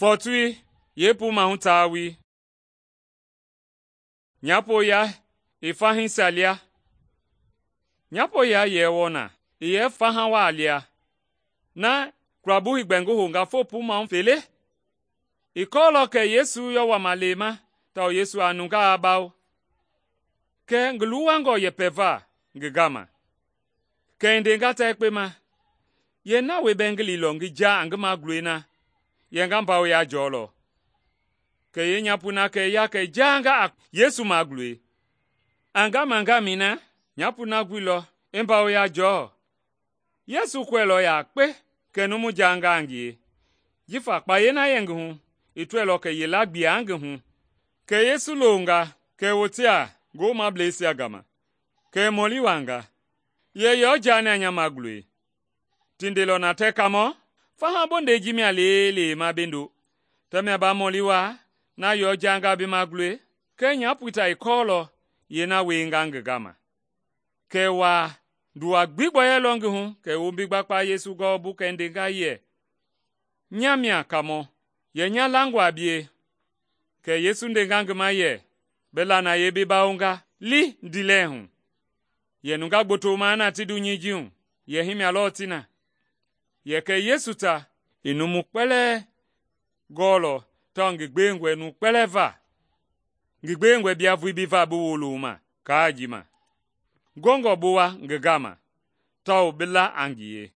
Fɔɔtoi yeepuu mahu taawoi. Nyapo-ya i fahisia lia. Nyapo-ya yɛ wɔɔ na, i yɛ faha waa lia, na kulabui i gbɛ ngi hounga foo puu mahu fele. I kɔɔlɔ kɛ Yesu yɔ wama lema tawao Yesu a nungaa bawo. Kɛɛ ngi luwangɔ yɛpɛva ngi gama. Kɛ i ndenga ta yekpe ma, “Yee na wie bɛɛ ngi liilɔ ngi jaa a ngi magulɔi na, yɛ nga mbawoya jɔlɔ.” Kɛ yenyapoi na kɛ i ya kɛ i jaanga a Yesu magulɔi. A ngamangamɛi na, nyapoi na guilɔ i mbawoya jɔɔ. Yesu kɔɛilɔ yakpe kɛ numu jaanga a ngie, jifa kpayei na yɛ ngi hu i tɔɛilɔ kɛ yila gbia ngi hu. Kɛ Yesu longa kɛ i wote a ngoomableisia gama, kɛ i mɔli wuaanga, “Yɛ yɔ jaani a nya magulɔi?” Ti ndeilɔ na tɛɛ, “Kaamɔ, faha bondɛi ji mia leelee ma bi ndo. Tamia ba mɔli waa na yɔ jaanga bi magulɔi?” Kɛɛ nyapoi ta i kɔɔlɔ yeena wienga ngi gama. Kɛ i waa, nduwa gbi gbɔyɔilɔ ngi hu kɛ i wombi gbakpa Yesu gɔwɔbu kɛ i ndenga yɛ, “Nya mia Kaamɔ, yɛ nya langɔ a bie.” Kɛ Yesu ndenga ngi ma yɛ, “Bi lanayei bi bawonga, li ndiilɛli hu.” Yɛ nunga gboto maa na ti dunyei ji hu, yɛ himia lɔɔ ti na. Yɛ kɛ Yesu ta i numu kpɛlɛɛ gɔɔlɔ tawao ngi gbewengɔe nu kpɛlɛɛ va. Ngi gbewengɔe bia vulii bi va bi wolo ma kaa ji ma. Ngɔngɔ bi wa ngi gama, tawao bi la a ngie.